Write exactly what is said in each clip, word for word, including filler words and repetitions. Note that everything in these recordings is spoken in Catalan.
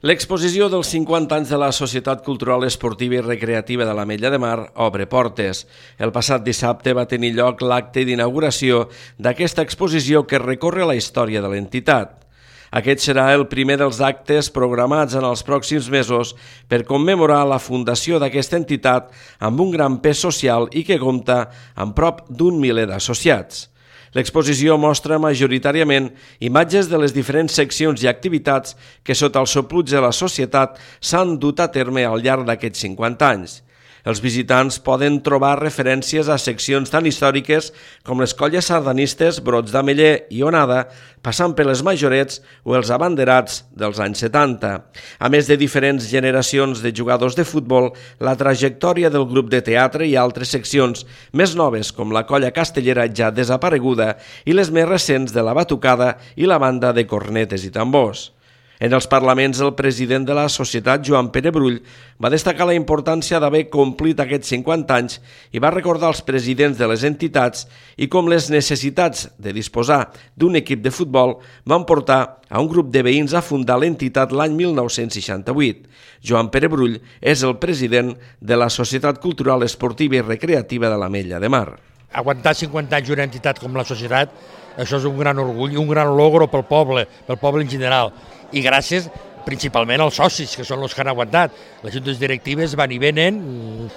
L'exposició dels cinquanta anys de la Societat Cultural Esportiva i Recreativa de l'Ametlla de Mar obre portes. El passat dissabte va tenir lloc l'acte d'inauguració d'aquesta exposició que recorre la història de l'entitat. Aquest serà el primer dels actes programats en els pròxims mesos per commemorar la fundació d'aquesta entitat amb un gran pes social i que compta amb prop d'un miler d'associats. L'exposició mostra majoritàriament imatges de les diferents seccions i activitats que sota el sopluig de la societat s'han dut a terme al llarg d'aquests cinquanta anys. Els visitants poden trobar referències a seccions tan històriques com les colles sardanistes, brots d'ameller i onada, passant per les majorets o els abanderats dels anys setanta. A més de diferents generacions de jugadors de futbol, la trajectòria del grup de teatre i altres seccions més noves com la colla castellera ja desapareguda i les més recents de la batucada i la banda de cornetes i tambors. En els parlaments, el president de la societat, Joan Pere Brull, va destacar la importància d'haver complit aquests cinquanta anys i va recordar als presidents de les entitats i com les necessitats de disposar d'un equip de futbol van portar a un grup de veïns a fundar l'entitat l'any mil nou-cents seixanta-vuit. Joan Pere Brull és el president de la Societat Cultural Esportiva i Recreativa de l'Ametlla de Mar. Aguantar cinquanta anys una entitat com la societat, això és un gran orgull i un gran logro pel poble, pel poble en general. I gràcies principalment als socis, que són els que han aguantat. Les juntes directives van i venen,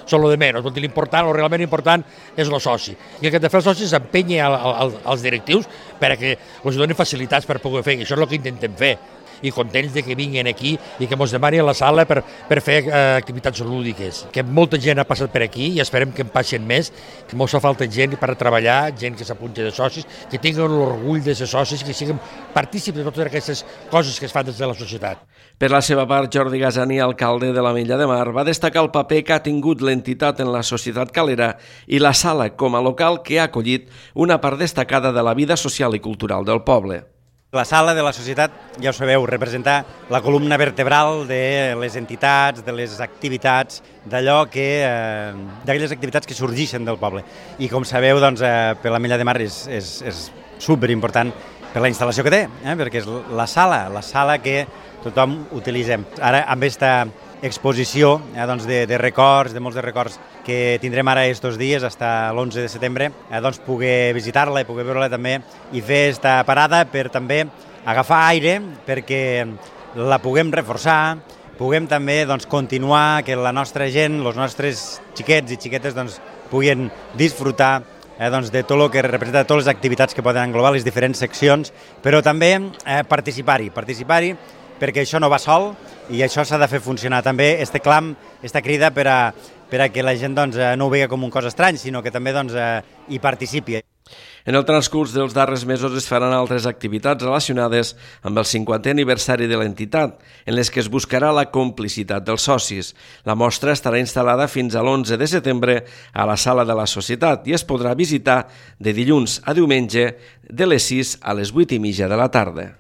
són lo de menys. L'important, el realment important és el soci. I el que ha de fer els socis és empènyer als directius perquè els donin facilitats per poder fer, i això és el que intentem fer. I contents de que vinguin aquí i que ens demanin a la sala per, per fer eh, activitats lúdiques. Que molta gent ha passat per aquí i esperem que en passin més, que ens fa falta gent per treballar, gent que s'apunti de socis, que tinguin l'orgull de ser socis, que siguin partícips de totes aquestes coses que es fan des de la societat. Per la seva part, Jordi Gasani, alcalde de l'Ametlla de Mar, va destacar el paper que ha tingut l'entitat en la societat calera i la sala com a local que ha acollit una part destacada de la vida social i cultural del poble. La sala de la societat, ja ho sabeu, representa la columna vertebral de les entitats, de les activitats, d'allò que, eh, d'aquelles activitats que sorgeixen del poble. I com sabeu, doncs, eh, per l'Ametlla de Mar és, és, és superimportant per la instal·lació que té, eh, perquè és la sala, la sala que tothom utilitzem. Ara, amb aquesta exposició eh, doncs de, de records, de molts de records que tindrem ara estos dies, fins l'onze de setembre, eh, doncs poder visitar-la i poder veure-la també i fer esta parada per també agafar aire perquè la puguem reforçar, puguem també doncs, continuar que la nostra gent, els nostres xiquets i xiquetes doncs, puguin disfrutar eh, doncs, de tot el que representa totes les activitats que poden englobar les diferents seccions, però també eh, participar-hi, participar-hi perquè això no va sol i això s'ha de fer funcionar també, este clam, esta crida per a, per a que la gent doncs, no ho vegi com un cos estrany, sinó que també doncs, hi participi. En el transcurs dels darrers mesos es faran altres activitats relacionades amb el cinquantè aniversari de l'entitat, en les que es buscarà la complicitat dels socis. La mostra estarà instal·lada fins a l'onze de setembre a la sala de la societat i es podrà visitar de dilluns a diumenge de les sis a les vuit i mitja de la tarda.